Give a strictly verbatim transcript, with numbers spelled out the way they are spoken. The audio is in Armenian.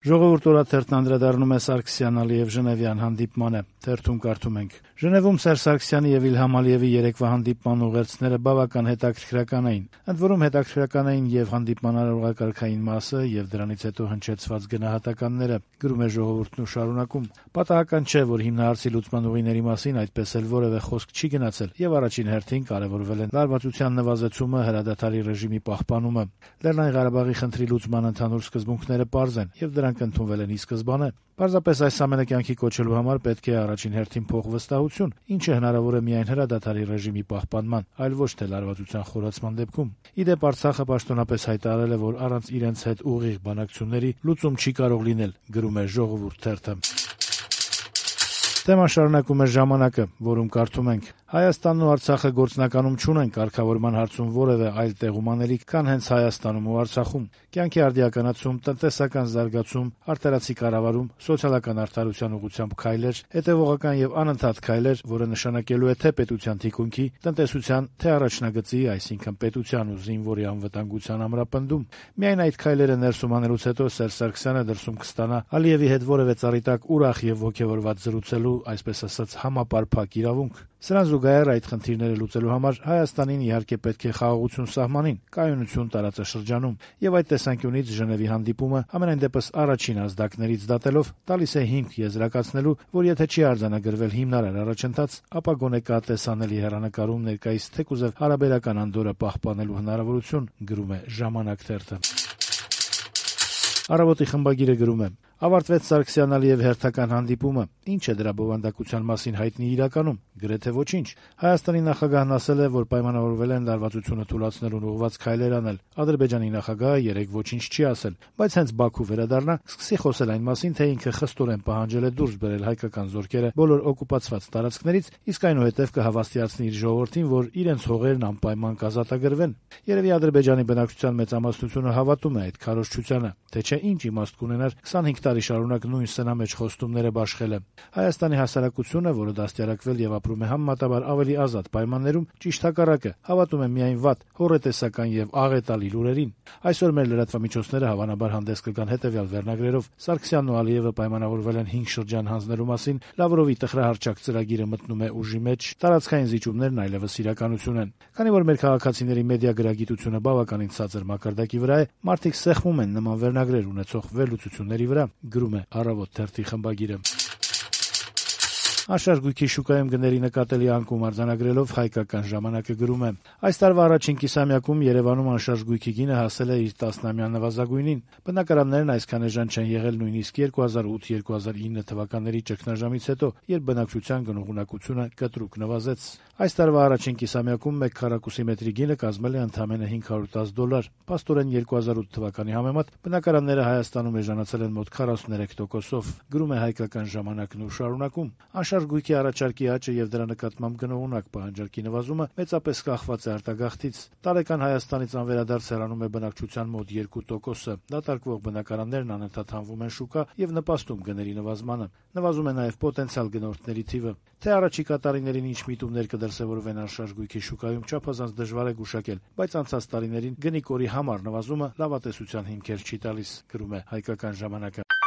Ժողովուրդ օրաթերթն անդրադառնում է Սարգսյան-Ալիև Ժնևյան հանդիպմանը։ Թերթում կարդում ենք. Ժնևում Սերժ Սարգսյանի եւ Իլհամ Ալիևի երեկվա հանդիպման ուղերձները բավական հետաքրքրական էին։ Ընդ որում հետաքրքրական էին եւ հանդիպման արարողակարգային մասը եւ դրանից հետո հնչեցված գնահատականները, գրում է Ժողովուրդն ու շարունակում. Պատահական չէ, որ հիմնահարցի լուծման ուղիների մասին այդպես էլ որևէ խոսք չի գնացել եւ առաջին հերթին կարեւորվել են լարվածության նվազեցումը, հրադադարի ռեժիմի պահպանումը։ Լեռնային Ղարաբաղի խնդրի լուծման ընդհանուր սկզբունքները պարզ են եւ դրանք ընդունվել են ի սկզբանե։ Պարզապես այս ամենը կյանքի կոչելու համար պետք է առաջին հերթին փոխվստահություն, ինչը հնարավոր է միայն հրադադարի ռեժիմի պահպանման, այլ ոչ թե լարվածության խորացման դեպքում։ Ի դեպ Արցախը պաշտոնապես հայտարարել է, որ առանց իրենց հետ ուղիղ բանակցությունների լուծում չի կարող լինել, գրում է Ժողովուրդ թերթը։ Թեման շարունակում է Ժամանակը, որում կարդում ենք. Հայաստանն ու Արցախը գործնականում չունեն կարգավորման հարցում որևէ այլ տեղում անելիք, քան հենց Հայաստանում ու Արցախում։ Կյանքի արդիականացում, տնտեսական զարգացում, արտարացի կառավարում, սոցիալական արդարության ուղղությամբ քայլեր, հետևողական եւ անընդհատ քայլեր, որը նշանակելու է թե պետության թիկունքի, տնտեսության, թե առաջնագծի, այսինքն պետության ու զինվորի անվտանգության ամրապնդում։ Միայն այդ քայլերը ներսում անելուց հետո Սերժ Սարգսյանը դրսում կստանա Ալիևի հետ որևէ ծառիտակ ուրախ եւ ոգեվորված զրուցելու, այսպես ասած, համապարփակ իրավունք։ Սրան զուգահեռ այդ խնդիրները լուծելու համար Հայաստանին իհարկե պետք է խաղաղություն սահմանին, կայունություն տարածաշրջանում, եւ այդ տեսանկյունից Ժնևի հանդիպումը ամենայն դեպս առաջին ազդակներից դատելով տալիս է հիմք եզրակացնելու, որ եթե չի արձանագրվել հիմնարար առաջընթաց, ապա գոնե կա տեսանելի հեռանկարում ներկայիս թեկուզև հարաբերական անդորրը պահպանելու հնարավորություն, գրում է Ժամանակ թերթը։ Առավոտի խմբագիրը գրում է. Ավարտվեց Սարգսյան-Ալիև հերթական հանդիպումը։ Ինչ է դրա բովանդակության մասին հայտնի իրականում։ Գրեթե ոչինչ։ Հայաստանի նախագահն ասել է, որ պայմանավորվել են լարվածությունը թույլատնելուն ուղղված քայլեր անել։ Ադրբեջանի նախագահը երեկ ոչինչ չի ասել, բայց հենց Բաքու վերադառնա, սկսի խոսել այն մասին, թե ինքը խստորեն պահանջել է դուրս բերել հայկական զորքերը բոլոր օկուպացված տարածքներից, իսկ այնուհետև կհավաստիացնի իր ժողովրդին, որ իրենց հողերն անպայման կազատագրվեն։ Երևի Ադրբեջանի բնակչության մեծամասնությունը հավատում է այդ քարոզչությանը, թե չէ ինչ իմաստ կունենար քսանհինգ տարի շարունակ նույն սնամեջ խոստումները բաշխելը։ Հայաստանի հասարակությունը, որը դաստիարակվել եւ ապրում է համեմատաբար ավելի ազատ պայմաններում, ճիշտ հակառակը, հավատում է միայն վատ, հոռետեսական եւ աղետալի լուրերին։ Այսօր մեր լրատվամիջոցները հավանաբար հանդես կգան հետեւյալ վերնագրերով. Սարգսյանն ու Ալիևը պայմանավորվել են հինգ շրջան հանձնելու մասին, Լավրովի տխրահարճակ ծրագիրը մտնում է ուժի մեջ, տարածքային զիջումներն այլևս իրականություն են։ Քանի որ մեր քաղաքացիների մեդիա գրագիտությունը բավականին ցածր մակարդակի վրա է, մարդիկ սեղմում են նման վերնագրեր ունեցող վերլուծությունների վրա, գրում է Առավոտ թերթի խմբագիրը։ Անշարժ գույքի շուկայում գների նկատելի անկում արձանագրելով Հայկական ժամանակը գրում է. Այս տարվա առաջին կիսամյակում Երևանում անշարժ գույքի գինը հասել է իր տասնամյա նվազագույնին։ Բնակարաններն այսքան էժան չեն եղել նույնիսկ երկու հազար ութ երկու հազար ինը թվականների ճգնաժամից հետո, երբ բնակչության գնողունակությունը կտրուկ նվազեց։ Այս տարվա առաջին կիսամյակում մեկ քառակուսի մետրի գինը կազմել է ընդամենը հինգ հարյուր տասը դոլար։ Փաստորեն երկու հազար ութ թվականի համեմատ բնակարանները Հայաստանում էժանացել են մոտ քառասուներեք տոկոսով, գրում է Հայկական ժամանակն ու շարունակում։ Անշարժ գույքի առաջարկի աճը եւ դրա նկատմամբ գնողունակ պահանջարկի նվազումը մեծապես կախված է արտագաղթից։ Տարեկան Հայաստանից անվերադարձ հեռանում է բնակչության մոտ երկու տոկոսը։ Դատարկվող բնակարաններն անընդհատ հանվում են շուկա եւ նպաստում գների նվազմանը։ Նվազում է նաեւ պոտենցիալ գնորդների թիվը։ Թե առաջիկա տարիներին ինչ միտումներ կդրսևորվեն անշարժ գույքի շուկայում, չափազանց դժվար է գուշակել, բայց անցած տարիներին գնի կորի համար նվազումը լավատեսության հիմքեր չի տալիս, գրում է Հայկական ժամանակը։